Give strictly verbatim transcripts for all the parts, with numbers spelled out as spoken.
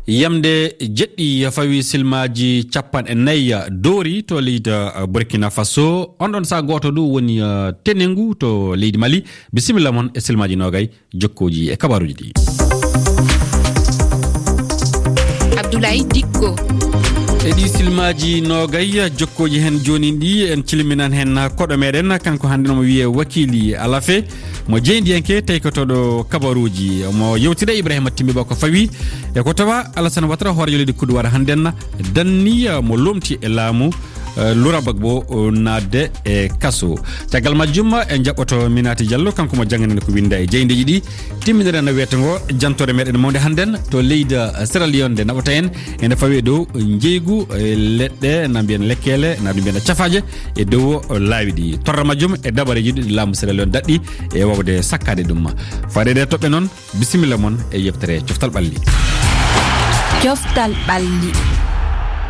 Yamde jeɗɗi fawi silmaaji capanɗe nayi doori to leydi, uh, Burkina Faso. On ɗon saha gooto ɗo woni, uh, tenengu to leydi Mali. Bisimilla mon e silmaaji noogay jokkooji e kabaaruuji ɗi. Abdoulaye Dikko. E ɗi silmaaji noogay jokkooji heen jooni ɗi, en cilminan heen koɗo meɗen, kanko hannde no mo wiyee Wakili Alafe. Mo jeyndiyanke taykotooɗo kabaruuji, mo yewtida Ibrahima Timbi Ba ko fawi e ko tawa Alassane Ouattara, hooreejo leydi Kuduwar, hannden danni, eh, mo lomti e laamu, eh, Laurent Gbagbo, eh, naatde e kaso. Caggal majjum, en jaɓɓoto Minati Diallo, kanko mo jannganani ko winnda e jeyndeeji ɗi. Timminere no wiyata ngo, jantoore meɗen mawnde hannden to leydi, eh, Sierra Leone nde naɓata en, ene fawi e dow njeygu, eh, leɗɗe, na mbiyen lekkeele, na ɗum mbiyen cafaaje, e dow laawi ɗi. Torra majjum e dabareeji ɗi laamu Sierra Leone daɗɗi e waawde sakkaade ɗum. Faaɗeede e toɓɓe noon, bisimilla mon e yeftere Coftal Ɓalli. Coftal Ɓalli.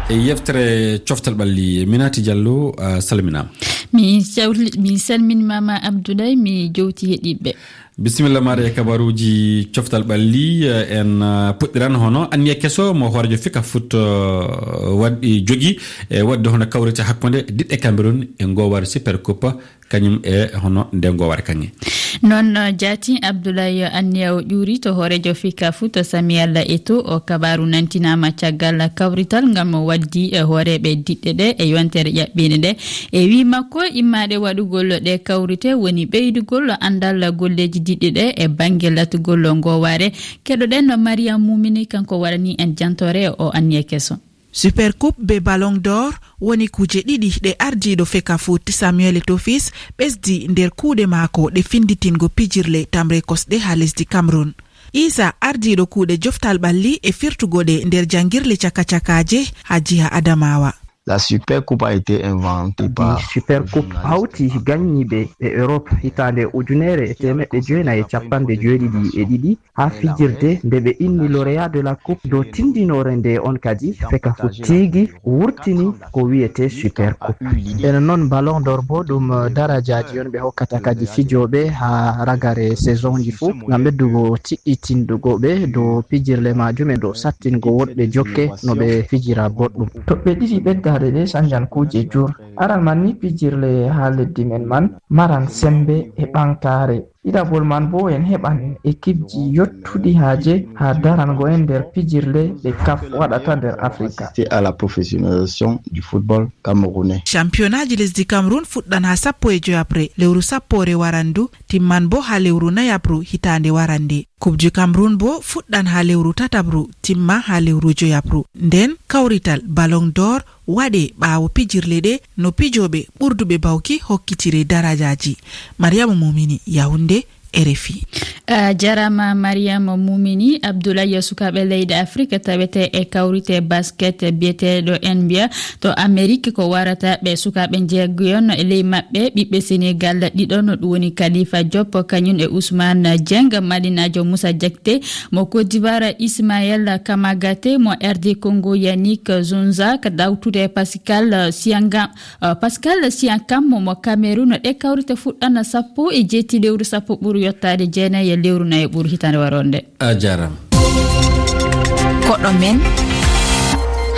E yeftere Coftal Ɓalli, Minati Diallo, a salminaama. Mi sawli-, mi salminiima ma Abdoulaye, mi jowti heɗiiɓe. Bisimilla maaɗa e kabaruuji Coftal Ɓalli, eh, en, eh, puɗɗiran hono anniya keso mo hooreejo Fika Foot, eh, waɗi jogi, e waɗde hono kawrite hakkunde diɗɗe Cameroun e ngoowaare Super Coupe, kañum e hono nde ngoowaare kaŋŋe. Noon, eh, jaati Abdoulaye anniya o ƴuuri to hooreejo Fika Foot Samuel Eto'o, o kabaaru nantinaama caggal kawrital ngal mo waddi e hooreeɓe diɗɗe ɗe e yontere ƴaɓɓiinde nde. E wii makko, immaade waɗugol ɗe kawrite woni ɓeydugol anndal golleeji diɗɗi ɗe e bannge latugol ngoowaare. Keɗoɗen no Mariam Mumini, kanko warani en jantoore o anniya keso. Super Coupe be Ballon d'Or woni kuuje ɗiɗi ɗe ardiiɗo Feka Foot Samuel Eto'o ɓesdi nder kuuɗe maako ɗe finnditingo pijirle tamre kosɗe haa lesdi Cameroun. Isa, ardiiɗo kuuɗe joftal ɓalli e firtugo ɗe nder janngirle caka-cakaaje haa jiha Adamawa. La Super Coupe a été inventée par Super Coupe hawti gannyiiɓe e Europe hitaande ujunere e teemeɗɗe jeenayi e cappanɗe jeeɗiɗi e ɗiɗi haa fijirde nde ɓe inni Lauréat de la Coupe dow tinndinoore nde on kadi Feka Foot tigi wurtini ko wiyetee Super Coupe. Ene noon Ballon d'Or bo ɗum darajaaji on ɓe hokkata kadi fijooɓe haa ragare saisonji fuu ngam ɓeddugo tiɗɗitindugo ɓe dow pijirle majum e dow sattingo woɗɓe jokke no ɓe fijira boɗɗum. Toɓɓe ɗiɗi ɓeddaaɗe ɗe sanjan kuuje jur. Aran man ni pijirle haa leddi men man maran sembe e ɓaŋgtaare. Ɗiɗaɓol man boo en heɓan ekipji yottuɗi haaje haa darango en nder pijirle ɗe kaf waɗata nder Afrika. C'est à la professionnalisation du football camerounais. Campionnaji lesdi Cameroun fuɗɗan haa sappo e joyaɓre lewru sappoore warandu, timman boo haa lewru nayaɓru hitaande warande. Coupe du Cameroun boo fuɗɗan haa lewru tataɓru, timma haa lewru joyaɓru. Nden kawrital Ballon d'Or waɗe ɓaawo pijirle ɗe no pijooɓe ɓurduɓe bawki hokkitire darajaaji. Mariama Mumini, Yaoundé, R F I. A jarama Mariama Mumini. Abdoulaye, sukaaɓe leyɗe Afrika tawete e kawrite basket biyeteeɗo N B A to Amerik ko warata ɓe sukaaɓe njeeguyon e ley maɓɓe ɓiɓɓe Senegal ɗiɗon, ɗum woni Khalifa Diop kañum e Ousmane Dieng, Malinaajo Moussa Diakité mo Côte d'Ivoire, Ismaël Kamagaté mo R D Congo, Yannick Zonza ka dawtude Pascal Sianga. Uh, Pascal Siakam mo Cameroun. Ɗe kawrite fuɗɗana sappo e jeeti lewru sappo ɓuru yottaade jeenayi e lewru nayi ɓuru hitaande waroonde. A jarama. Koɗo men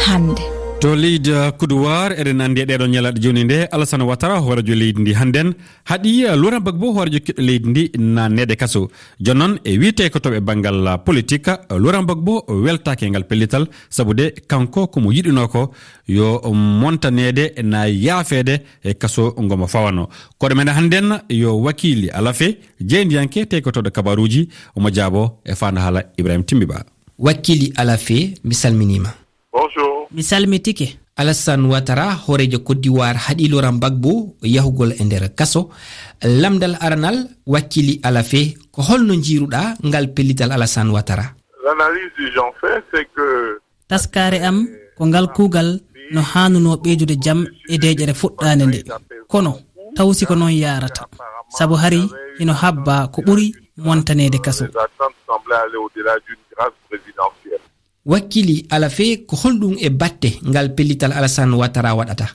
hannde. To leydi, uh, Kuduwaar, eɗen anndi e ɗeɗo ñalaaɗe jooni nde, Alassane Ouattara, hooreejo leydi ndi hannden, haɗi, uh, Laurent Gbagbo, hooreejo kiɗɗo leydi ndi, naatneede kaso. Jooni noon, e wiyetee ko to ɓe banngal, uh, politik, uh, Laurent Gbagbo weltaaki e ngal pellital, sabu de kanko ko mo yiɗunoo ko yo montaneede na yaafeede e kaso ngo mo fawano. Koɗo men hannden yo Wakili Alafe, jeyndiyanke tekotooɗo kabaruuji, omo jaabo e faandu haala Ibrahim Timbi Ba. Wakili Alafe, mi salminiima. Bonjour. Mi salmitike. Alassane Ouattara, hooreejo Côte d'Ivoire, haɗi Laurent Gbagbo yahugol e nder kaso. Lamndal aranal, Wakili Alafe, ko holno njiiruɗaa ngal pellital Alassane Ouattara? L'analyse que j'en fais, c'est que Taskaare am ko ngal kuugal no haanunoo ɓeydude jam e deeƴere fuɗɗaande nde. Kono taw si ko noon yaarata, sabu hari hino habbaa ko ɓuri montaneede kaso. Les attentes semblaient aller au-delà d'une grâce présidentielle. Wakili Alafe, ko holɗum e batte ngal pellital Alassane Ouattara waɗata?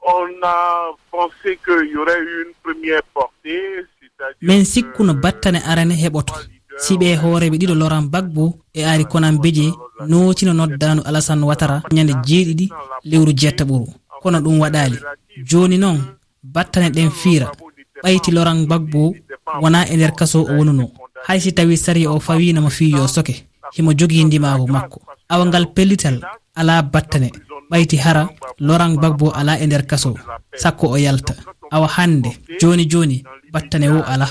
On a pensé qu'il y aurait eu une première portée, c'est-à-dire Min sikkuno que battane arane heɓoto. Si ɓe hooreeɓe ɗiɗo Laurent Gbagbo e Henri Konan Bédié nootino noddaandu Alassane Ouattara ñande jeeɗiɗi lewru jeettaɓuru. Kono ɗum waɗaali. Jooni noon, battane ɗen fiira. Ɓayti Laurent Gbagbo wonaa e nder kaso o wonunoo. Hay si tawii sariya o fawiino mo fii yo soke, himo jogii ndimaagu makko. Awa ngal pellital alaa battane, ɓayti hara Laurent Gbagbo alaa e nder kaso, sakko o yalta. Awa hannde, jooni jooni, battane woo alaa.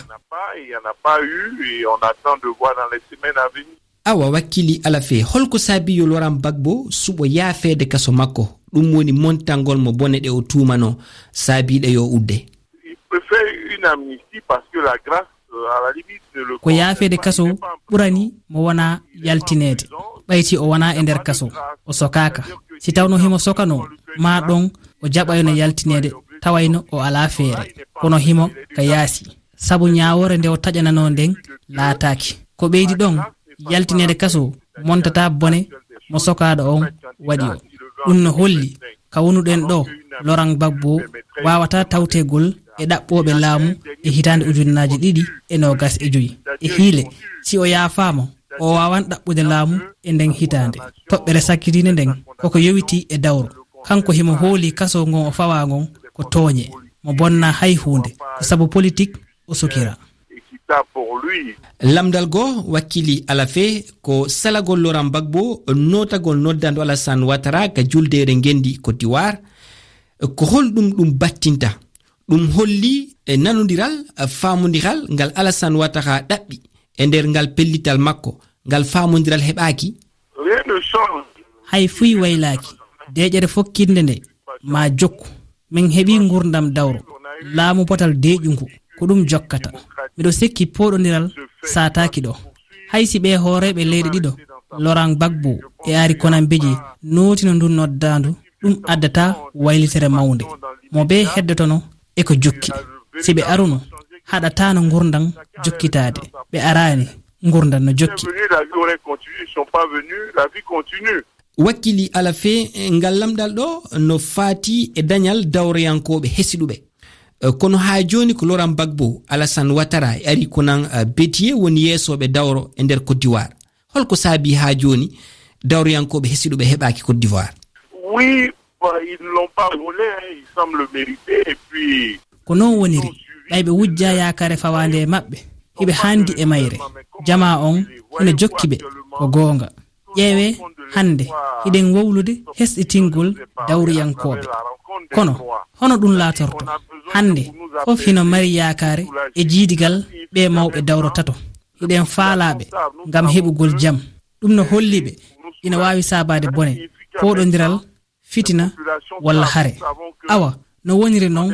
Il n'y en a pas eu et on attend de voir dans les semaines à venir. Awa, Wakkili Alafe, holko saabii yo Laurent Gbagbo suɓo yaafeede kaso makko? Ɗum woni montangol mo bone ɗe o tuumanoo saabiiɗe yo udde. Il préfère une amnistie parce que la grâce, euh, à la limite, ne le Ko yaafeede kaso ɓurani mo wonaa yaltineede. Ɓayti o wonaa e nder kaso, o sokaaka. Si tawno himo sokanoo, maa ɗon o jaɓayno yaltineede, tawayno o alaa feere. Kono himo ka yaasi. Sabu ñaawoore nde o taƴananoo nden laataaki. Ko ɓeydi ɗon, yaltineede kaso montataa bone mo sokaaɗo on waɗi o. Ɗum no holli ka wonuɗen ɗoo, Laurent Gbagbo waawataa tawtegol e ɗaɓɓooɓe laamu e hitaande ujunnaaji ɗiɗi e noogas e joy. E hiile, si o yaafaama, o waawan ɗaɓɓude laamu e nden hitaande. Toɓɓere sakkitiinde nden, koko yowitii e dawro. Kanko himo hoolii kaso ngon o fawaa ngon ko tooñe. Mo bonnaa hay huunde, ko sabu politik o sokira. Équitable pour lui. Lamndal goo, Wakkili Alafe, ko salagol Laurent Gbagbo nootagol noddaandu Alassane Ouattara ka juldeere ngenndi Côte d'Ivoire. Ko honɗum ɗum battinta? Ɗum holli e nanondiral, e faamondiral ngal Alassane Ouattara ɗaɓɓi e nder ngal pellital makko, ngal faamondiral heɓaaki. Rien ne change. Hay fuy waylaaki. Deeƴere fokkitnde nde maa jokku. Min heɓii ngurdam dawro. Laamu potal deeƴu ngu, ko ɗum jokkata. Miɗo sikki pooɗondiral saataaki ɗoo. Hay si ɓee hooreeɓe leyɗe ɗiɗo, Laurent Gbagbo e Henri Konan Bédié, nootino ndun noddaandu, ɗum addataa waylitere mawnde. Mo bee heddotono e ko jokki. Si ɓe aruno, haɗataano ngurdam jokkitaade. Ɓe araani, ngurdam no jokki. Ils sont venus, la vie aurait continué, ils sont pas venus, la vie continue. Wakkili Alafe, ngal lamndal ɗoo no faati e dañal dawroyankooɓe hesiɗuɓe. Eh, kono haa jooni ko Laurent Gbagbo, Alassane Ouattara e Henri Konan, eh, Bédié woni yeesooɓe dawro e nder Côte d'Ivoire. Holko saabii haa jooni dawroyankooɓe hesiɗuɓe heɓaaki Côte d'Ivoire? Oui, bah, ils ne l'ont pas volé, hein, ils semblent le mériter, et puis Ko non woniri, ɓay ɓe wujjaa yaakaare fawaande e maɓɓe, hiɓe haandi e mayre. Jamaa on hino jokki ɓe, ko goonga. Ƴeewee, hannde hiɗen wowlude hesɗitingol dawriyankooɓe. Kono, hono ɗum laatorto? Hannde, fof hino mari yaakaare e jiidigal ɓee mawɓe dawro tato. Hiɗen faalaaɓe ngam heɓugol jam. Ɗum no holli ɓe ina waawi saabaade bone, pooɗondiral, fitina, walla hare. Awa, no woniri non,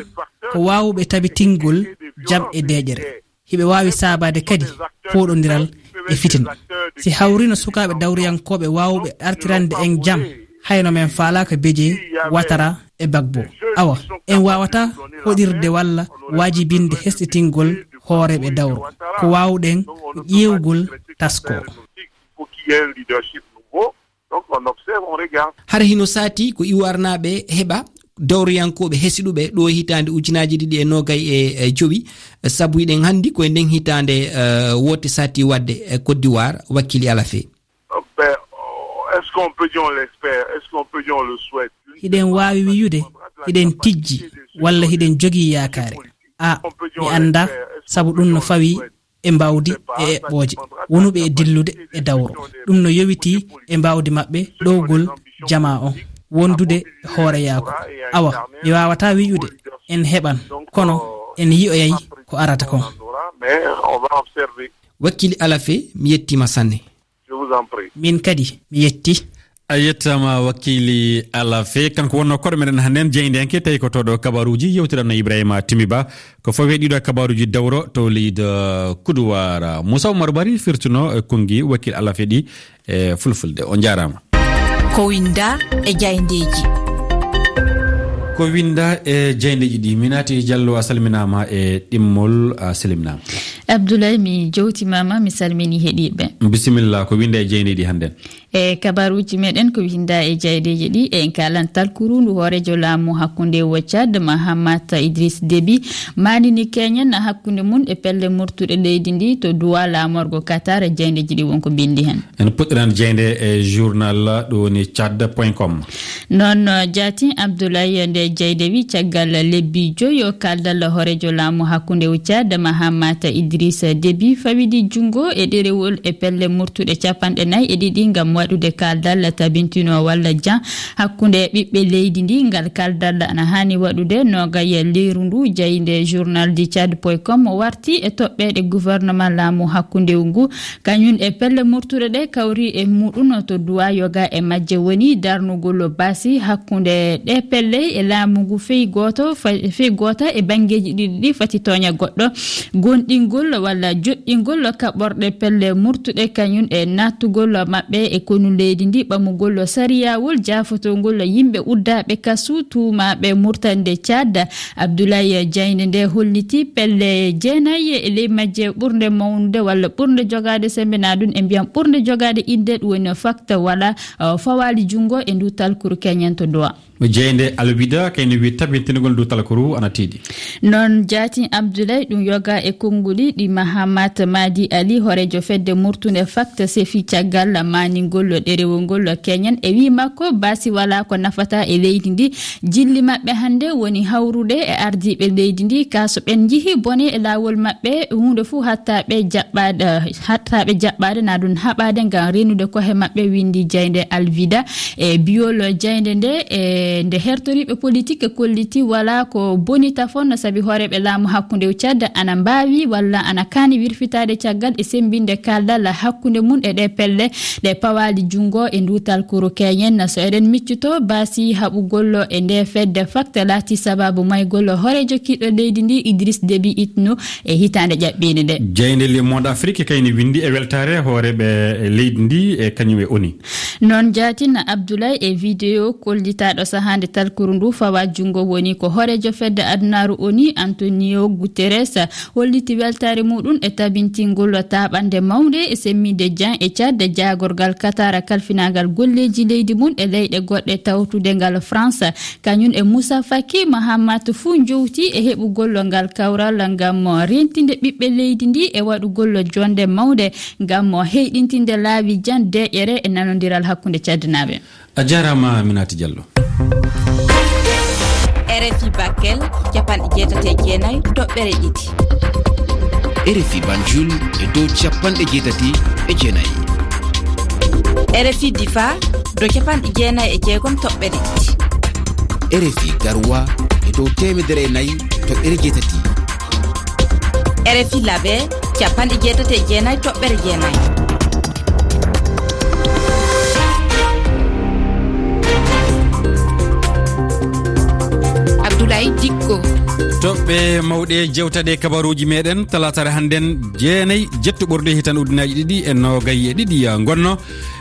ko waawuɓe tabitingol jam e deeƴere. Hiɓe waawi saabaade kadi pooɗondiral e fitina. Si hawrino sukaaɓe dawriyankooɓe waawuɓe artirande en jam, hayno men faalaaka Bédié, Ouattara e Gbagbo. Awa, en waawataa hoɗirde walla waajibinde hesɗitingol hooreeɓe dawro. Ko waawuɗen ko ƴeewgol taskoo. Donc, on observe, on regarde. Hara hino saati ko iwarnaaɓe heɓa dawriyankooɓe hesiɗuɓe ɗo e hitaande ujunaaji ɗiɗi e noogay e, e jowi, sabu hiɗen hannde ko e nden hitaande, eh, woote saati waɗde e Côte d'Ivoire, Wakkili Alafe. Ben, est-ce qu'on peut dire on l'espère? Est-ce qu'on peut dire on le souhaite? Hiɗen waawi wiyude hiɗen tijji walla hiɗen jogii yaakaare. A, mi anndaa, sabu ɗum no fawii e mbawdi e eɓɓooje wonuɓe e dillude e dawro. Ɗum no yowitii e mbawdi maɓɓe ɗowgol jamaa on, wondude e hooreyaaku. Awa, mi waawataa wi'ude en heɓan, kono en yi'oyay ko arata kon. Mais on va observer. Wakkili Alafe, mi yettiima sanne. Je vous en prie. Min kadi, mi yetti. A yettaama, Wakkili Alafe. Kanko wonno koɗo meɗen hannden, jeyndeenke tawi ko toɗo kabaruuji, yewtiranno Ibrahima Timiba. Ko fawi ɗiɗo kabaruuji dawro to leydi Kuduwara. Moussa Oumar Bari firtuno, eh, konngi Wakkili Alafe ɗi, eh, fulfulde. On njaaraama. Ko winda e jayndeeji. Ko winda e jayndeeji ɗi. Minati Diallo, a salminaama e ɗimmol, a salminaama. Abdoulaye, mi jowtimaama, mi salmini heɗiiɓe. Bisimilla, ko winnda e jeyneeji hannden? E kabaruuji meɗen ko winnda e jaydeeji ɗi, en kaalan talkuru ndu hooreejo laamu hakkunde wo Tchad, Mahamat Idriss Déby, maanini keñen hakkunde mum e pelle murtuɗe leydi ndi to duwa laamorgo Qatar, e jaydeeji ɗi wonko binndi heen. En puɗɗiran jeynde e journal ɗo woni tchad point com. Noon, jaati Abdoulaye, nde jayde wi caggal lebbi joyo kaaldal hooreejo laamu hakkunde wo Tchad, Mahamat Idriss Déby, fawidi junngo e ɗerewol e pelle murtuɗe capanɗe nayi e ɗiɗi ngam waɗude kaaldal tabintino walla jan hakkunde ɓiɓɓe leydi ndi. Ngal kaaldal ana haani waɗude noogay leeru ndu, jayde journal di tchad point com warti e toɓɓeeɗe gouvernement laamu hakkunde ngu. Kañum e pelle murtuɗe ɗe kawri e muɗum to duwa yoga e majje woni darnugol baasi hakkunde ɗe pelle e laamu ngu fey gooto, fa-, fey goota e banngeeji ɗiɗi ɗi fati tooña goɗɗo, gonɗingol walla joɗɗingol kaɓorɗe pelle murtuɗe kañum e nattugol maɓɓe e konu leydi ndi, ɓamugol sariyawol jaafotongol yimɓe uddaaɓe kasu tuumaaɓe murtande Tchad. Abdoulaye Diagne nde holliti pelle jeenayi e ley majje ɓurnde mawnude walla ɓurnde jogaade sembe, na ɗum en mbiyan ɓurnde jogaade innde, ɗum woni fakta wala, uh, fawaali junngo e ndu talkuru keñen to duwa. Jeynde Alwida kayni wi tabintingol ndu talkuru ana tiiɗi. Noon jaati Abdoulaye ɗum yoga e konnguli ɗi Mahamat Madi Ali, hooreejo fedde murtunde fakta sefi caggal maaningol ɗerewol ngol keñen e wi makko baasi wala ko nafata e leydi ndi. Jilli maɓɓe hannde woni hawrude e ardiiɓe leydi ndi, ka so ɓen njihi bone e laawol maɓɓe, huunde fuu hatta ɓe jaɓɓaade, hatta ɓe jaɓɓaade, na ɗum haɓaade ngam renude kohe maɓɓe, winndi jeynde Alvida. E biyol jeynde nde, e nde hertoriiɓe politik kolliti wala ko boni tafon, sabi hooreeɓe laamu hakkunde o Tchad ana mbaawi walla ana kaani wirfitaade caggal e semmbinde kaaldal hakkunde mum e ɗe pelle ɗe pawaali junngo e ndu talkuru keñen. So eɗen miccuto, baasi haɓugol e nde fedde fakta laati sababu maygol hooreejo kiiɗo leydi ndi, Idriss Déby Itno, e hitaande ƴaɓɓiinde nde. Jeynde Le Monde Afrique kayni winndi e weltaare hooreeɓe leydi ndi e kañum e ONU. Noon jaatin Abdoulaye e video kollitaaɗo sahaa nde talkuru ndu fawa junngo woni ko hooreejo fedde adunaaru ONU, Antonio Guterres, holliti weltaare muɗum e tabintingol taaɓannde mawnde e semminde Jan e Tchad, jaagorgal Qatar kalfinaagal golleeji leydi mum e leyɗe goɗɗe tawtude ngal France. Kañum e Moussa Faki Mahamat fuu njowti e heɓugol ngal kawral ngam rentinde ɓiɓɓe leydi ndi e waɗugol jonde mawnde ngam heyɗintinde laawi Jan deeƴere e nanondiral hakkunde Tchadnaaɓe. A jaaraama, Minati Diallo. R F I Bakel, capanɗe jeetati e jeenayi toɓɓere ɗiɗi. R F I Banjul e dow capanɗe jeetati e jeenayi. R F I Difa, dow capanɗe jeenayi e jeegom toɓɓere ɗiɗi. R F I Garoua e dow teemedere e nayi toɓɓere jeetati. R F I Labe, capanɗe jeetati e jeenayi toɓɓere jeenayi. Abdoulaye Dikko. Toɓɓe mawɗe jewtaɗe kabaruuji meɗen, talaataare hannden, jeenayi jetto ɓorɗe hitan ujunaaji ɗiɗi e noogay e ɗiɗi ngonno.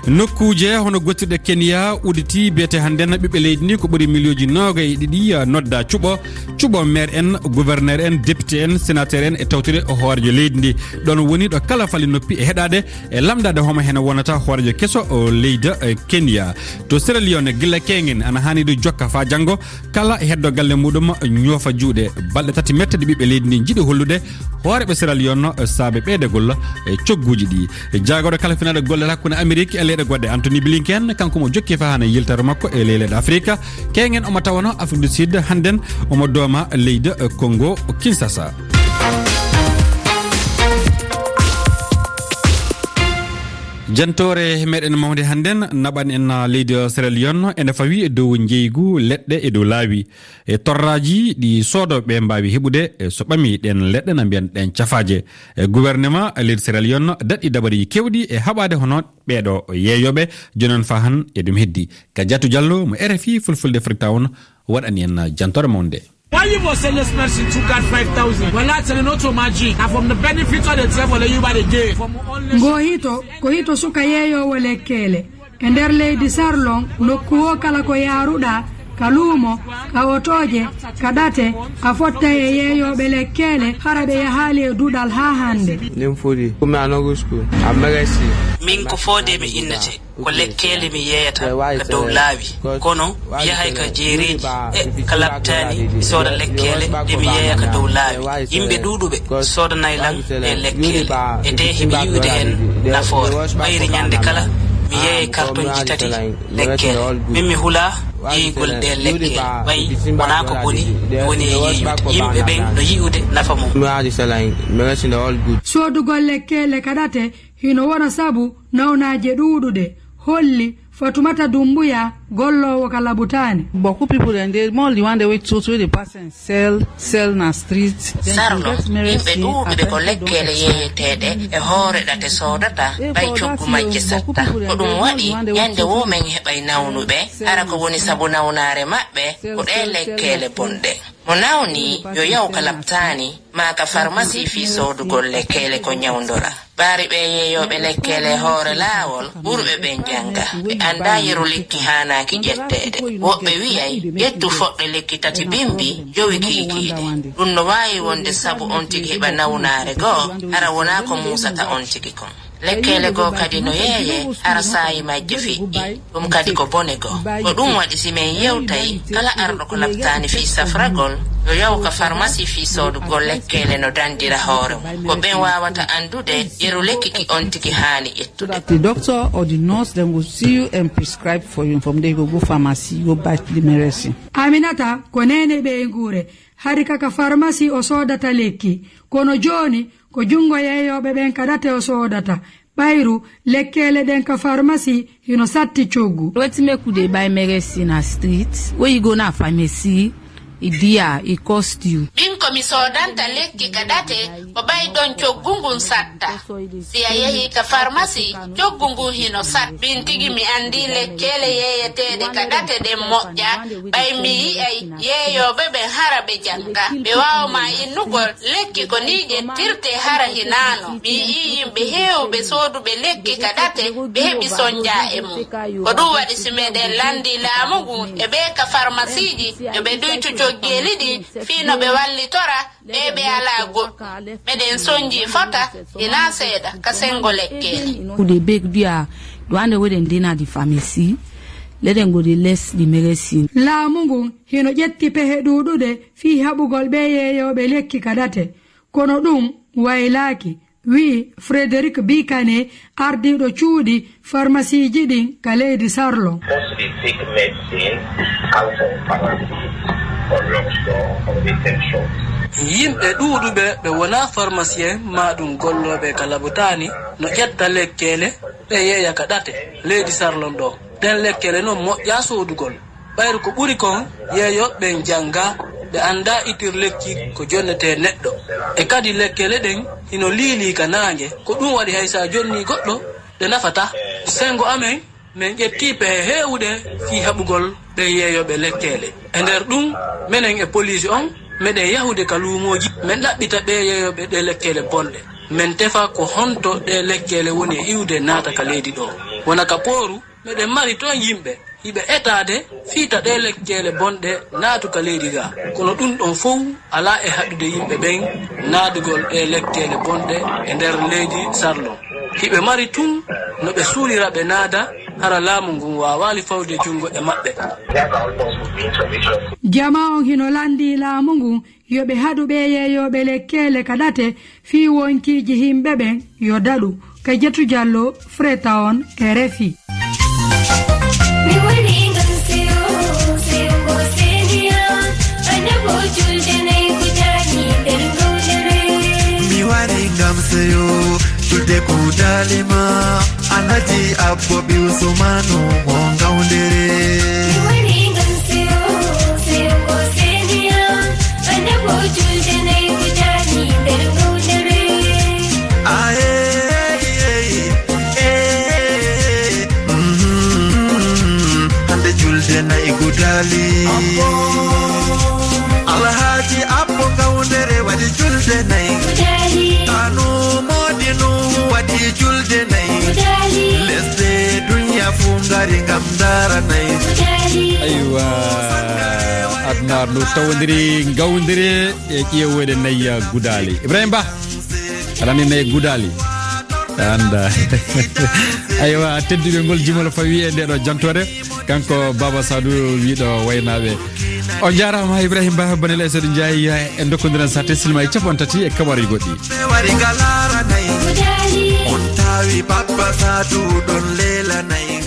Nokkuuje hono gottirɗe Kenya udditi biyete hannden ɓiɓɓe leydi ndi ko ɓuri miliyonji noogay e ɗiɗi, ah, nodda cuɓo, cuɓo maire en, gouverneur en, député en, sénateur en e tawtude hooreejo leydi ndi. Ɗon woni ɗo kala fali noppi e heɗaade e lamndaade homo hene wonata hooreejo keso o leydi, eh, Kenya. To Sierra Leone, gila keñen ana haani ɗo jokka faa janngo, kala heddo galle muɗum ñoofa juuɗe. Balɗe tati metteɗe ɓiɓɓe leydi ndi njiɗi hollude hooreeɓe Sierra Leone saabe ɓeydagol e cogguuji ɗi. Jaagorɗo kalfinaaɗo golle hakkunde Amerik e leyɗe goɗɗe, Anthony Blinken, kanko mo jokki faa hana yiltere makko e ley leyɗe Afrika. Keñen omo tawano Afrique du Sud, hannden omo dooma leydi Congo Kinshasa. Jantoore meɗen mawnde hannden naɓan en leydi Sierra Leone ene fawi e dow njeygu leɗɗe e dow laawi. E torraaji ɗi soodooɓe mbaawi heɓude, e so ɓami ɗen leɗɗe na mbiyan ɗen cafaaje. E gouvernement leydi Sierra Leone daɗɗi dabareeji keewɗi e haɓaade hono ɓeeɗo yeeyooɓe. Jooni noon faa han e ɗum heddi. Ka Jatu Jallo mo R F I Fulfulde Freetown waɗani en jantoore mawnde. Why you must send this person two card five thousand? Well, that's not so magic. And from the benefits of the travel, you buy the day. From only Ngo hito, ko hito suka yeeyoowo lekkeele. E nder leydi Sarlon, nokku o kala ko yaaruɗaa, ka luumo, ka otooje, ka ɗate, a fottay e yeeyooɓe lekkeele, hara ɓe yahaali e duɗal haa hannde. Nin fodi, kumi anogo school, a mega si. Min ko Foodee mi innete, ko lekkeele mi yeeyata ka dow laawi. Kono mi yahay ka jeereeji, e ka laptaani, mi sooda lekkeele ɗe mi yeeya ka dow laawi. Yimɓe ɗuuɗuɓe soodanay lan e lekkeele, e tee hiɓe yi'ude heen nafoore. Ɓayri ñande kala, mi yeeyay kartonji tati lekkeele. Min mi hulaa yeeyugol ɗee lekkeele, ɓay wonaa ko boni, mi woni e yeeyude. Yimɓe ɓen no yi'ude nafa mum. Soodugol lekkeele ka ɗate hino wona sabu nawnaaje ɗuuɗuɗe, holli Fatumata Dumbuya, golloowo ka labutaani. Beaucoup people dem dey more the one dey wait so so dey pass and sell, sell na street. Sarlo, yimɓe ɗuuɗuɓe ko lekkeele yeeyeteeɗe e hoore ɗate soodata, ɓay coggu majje satta. Ko ɗum waɗi, ñande woo men heɓay nawnuɓe, hara ko woni sabu nawnaare maɓɓe, ko ɗee lekkeele bonɗe. Mo nawni, yo yaw ka laptaani, maa ka farmasi fii soodugol lekkeele ko ñawndora. Ɓaari ɓee yeeyooɓe lekkeele e hoore laawol, ɓurɓe ɓen jannga. Ɓe anndaa yeru lekki haanaaki ƴetteede. Woɓɓe wi'ay, ƴettu foɗɗe lekki tati bimbi, jowi kiikiiɗe. Ɗum no waawi wonde sabu on tigi heɓa nawnaare goo, hara wonaa ko muusata on tigi kon. Lekkeele goo kadi no yeeyee, hara saayi majje feƴƴi. Ɗum kadi ko bone goo. Ko ɗum waɗi si men yewtay, kala arɗo ko laptaani fii safragol, yo yaw ka farmasi fii soodugol lekkeele no dandira hoore mum. Ko ɓen waawata anndude yeru lekki ki on tigi haani ƴettude. The doctor or the nurse dem go see you and prescribe for you. From there you go go pharmacy, go buy the medicine. Aminata ko neene ɓeynguure. Hari ka ka farmasi o soodata lekki. Kono jooni ko junngo yeeyooɓe ɓen ka ɗate o soodata. Ɓayru, lekkeele ɗen ka farmasi hino satti coggu. Wetin make we dey buy medicine na street? When you go na pharmacy, e dear, e cost you. Min ko mi soodanta lekki ka ɗate, ko ɓay ɗon coggu ngun satta. Si a yehi ka farmasi, coggu ngun hino satta. Min tigi mi anndi lekkeele yeeyeteeɗe ka ɗate ɗen moƴƴa, ɓay mi yi'ay yeeyooɓe ɓen hara ɓe jannga. Ɓe waawa ma innugol lekki ko nii ƴettirtee hara hinaano. Mi yi'ii yimɓe heewɓe sooduɓe lekki ka ɗate, ɓe heɓi sonjaa e mum. Ko ɗum waɗi si meɗen lanndii laamu ngun e ɓee ka farmasiiji, yo ɓe ɗuytu coggeeli ɗin fii no ɓe wallitora ɓee ɓe alaa goɗɗum. Meɗen sonjii fota, hinaa seeɗa, ka senngo lekkeele. Ku dey beg dia, the one wey dem dey na the pharmacy, let dem go dey less the medicine. Laamu ngun hino ƴetti pehe ɗuuɗuɗe fii haɓugol ɓee yeeyooɓe lekki ka ɗate. Kono ɗum waylaaki, wi'i Frédéric Bikane, ardiiɗo cuuɗi farmasiiji ɗin ka leydi Sarlon. Mostly take medicine out of pharmacy or drugstore or retail shops. Yimɓe ɗuuɗuɓe ɓe wonaa farmasiyen maa ɗum gollooɓe ka labutaani no ƴetta lekkeele ɓe yeeya ka ɗate leydi Sarlon ɗoo. Ɗen lekkeele non moƴƴaa soodugol. Ɓayru ko ɓuri kon, yeeyooɓe ɓen janngaa, ɓe anndaa itir lekki ko jonnetee neɗɗo. E kadi lekkeele ɗen hino liilii ka naange, ko ɗum waɗi hay si a jonnii goɗɗo, ɗe nafataa. Senngo amen, men ƴettii pehe heewuɗe fii haɓugol ɓen yeeyooɓe lekkeele. E nder ɗum, menen e poliisi on, meɗen yahude ka luumooji, men ɗaɓɓita ɓee yeeyooɓe ɗee lekkeele bonɗe. Men tefa ko honto ɗee lekkeele woni e iwde naata ka leydi ɗoo. Wona ka pooru, meɗen mari ton yimɓe hiɓe etaade fii ta ɗee lekkeele bonɗe naatu ka leydi gaa. Kono ɗum ɗon fow alaa e haɗude yimɓe ɓen naadugol ɗee lekkeele bonɗe e nder leydi Sarlon. Hiɓe mari tun no ɓe suulira ɓe naada, hara laamu ngun waawaali fawde junngo e maɓɓe. Jamaa on hino lanndii laamu ngun yo ɓe haɗu ɓee yeeyooɓe lekkeele ka ɗate fii wonkiiji yimɓe ɓen yo daɗu. Ka Jetu Jallo, Freta on, R F I. Mi waɗi ngam seyo, seyo ngo seeniya, annabo julde nay ko jaani nder ngawdere. Mi waɗi ngam seyo, julde ko daalima, Alhaji Abbo ɓi Usmanu mo ngawdere. Mi waɗi ngam seyo, seyo ngo seeniya, annabo julde nay ko jaani nder ngawdere. Aye, eh, eh, mhm, hande julde nay gudali. Alhaji Abbo Kawndere waɗi julde nay. Kanu Modi Nuhu waɗi julde nay. Lesɗe dunya fu ngari ngam ndaara nay. Aywa. Aduna no tawondiri, ngawdiri e ƴeewooɗe nayya gudaali. Ibrahim Ba, aɗa anndi nayya gudaali? Annda. Aywa, tedduɓe, ngol jimol fawi e nde ɗo jantoore. Kanko Baba Sadou wiɗo waynaaɓe. On njaaraama Ibrahim Ba, Banel Aissata Ndiaye, en ndokkondiran sate silma e capanɗe tati e kaɓari goɗɗi. On tawi Baba Sadou ɗon leela nayi.